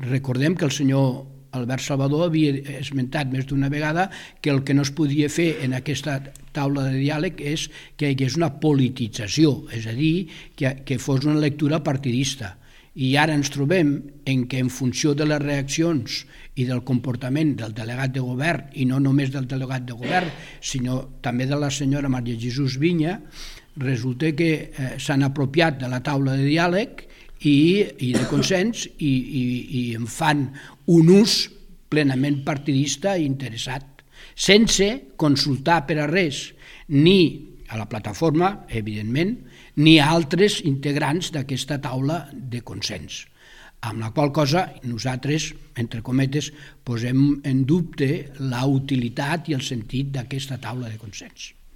Recordem que el senyor Albert Salvador havia esmentat més d'una vegada que el que no es podia fer en aquesta taula de diàleg és que hi hagués una politització, és a dir, que fos una lectura partidista. I ara ens trobem en què en funció de les reaccions i del comportament del delegat de govern, i no només del delegat de govern, sinó també de la senyora Maria Jesús Viña, resulta que s'han apropiat de la taula de diàleg i de consens i en fan un ús plenament partidista i interessat, sense consultar per a res ni a la plataforma, evidentment, ni a altres integrants d'aquesta taula de consens. Amb la qual cosa nosaltres, entre cometes, posem en dubte la utilitat i el sentit d'aquesta taula de consens.